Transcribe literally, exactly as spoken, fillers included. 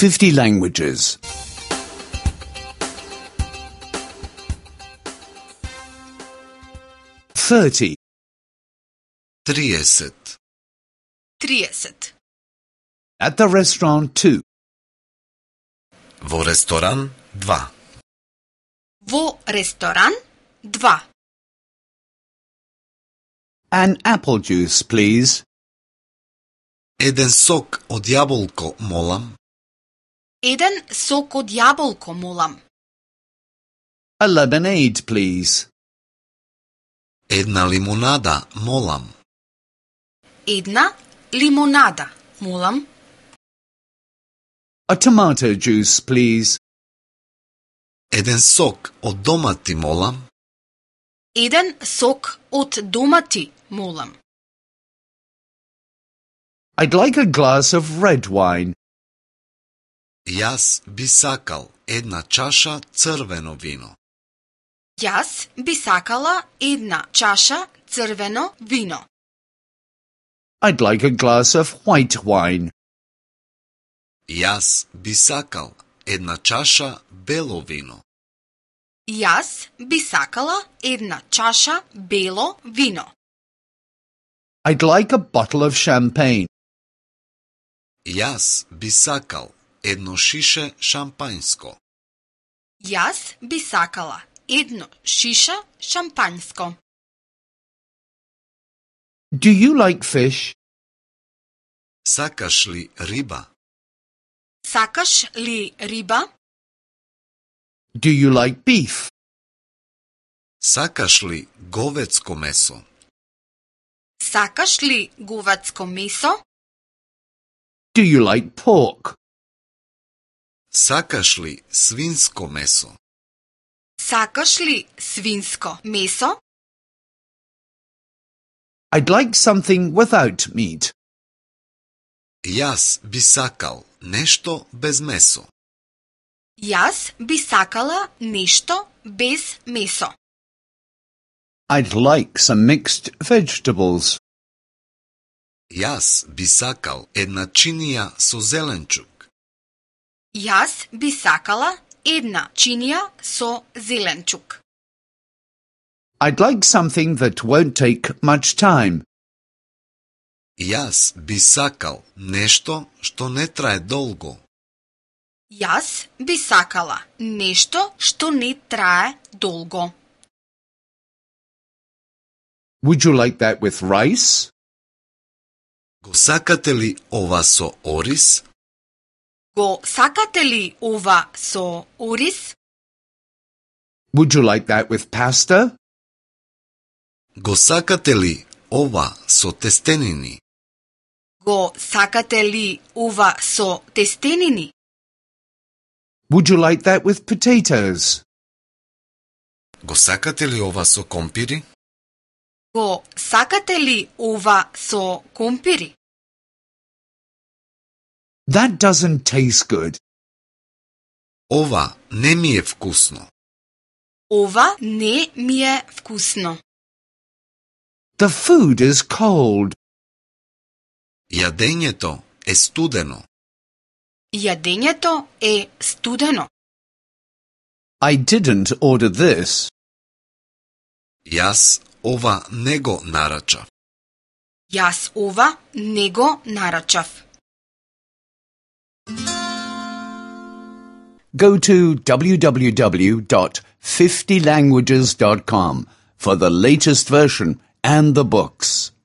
fifty languages. Thirty. trideset. trideset. At the restaurant two. Во ресторан два. Во ресторан два. An apple juice, please. Еден сок од јаболко, молам. Еден сок од јаболко, молам. A lemonade, please. Една лимонада, молам. Една лимонада, молам. A tomato juice, please. Еден сок од домати, молам. Еден сок од домати, молам. I'd like a glass of red wine. Јас би сакал една чаша црвено вино. Јас би сакала една чаша црвено вино. I'd like a glass of white wine. Јас би сакал една чаша бело вино. Јас би сакала една чаша бело вино. I'd like a bottle of champagne. Јас би сакал едно шише шампањско. Јас би сакала едно шиша шампањско. Do you like fish? Сакаш ли риба? Сакаш ли риба? Do you like beef? Сакаш ли говецко месо? Сакаш ли говецко месо? Do you like pork? Сакаш ли свинско месо? Сакаш ли свинско месо? I'd like something without meat. Јас би сакал нешто без месо. Јас би сакала нешто без месо. I'd like some mixed vegetables. Јас би сакал една чинија со зеленчук. Јас би сакала една чинија со зеленчук. I'd like something that won't take much time. Јас би сакал нешто што не трае долго. Јас би сакала нешто што не трае долго. Would you like that with rice? Го сакате ли ова со ориз? Го сакате ли ова со ориз? Would you like that with pasta? Го сакате ли ова со тестенини? Го сакате ли ова со тестенини? Would you like that with potatoes? Го сакате ли ова со компири? Го сакате ли ова со компири? That doesn't taste good. Ова не ми е вкусно. Ова не ми е вкусно. The food is cold. Јадењето е студено. Јадењето е студено. I didn't order this. Јас ова не го нарачав. Јас ова не го нарачав. Go to w w w dot fifty languages dot com for the latest version and the books.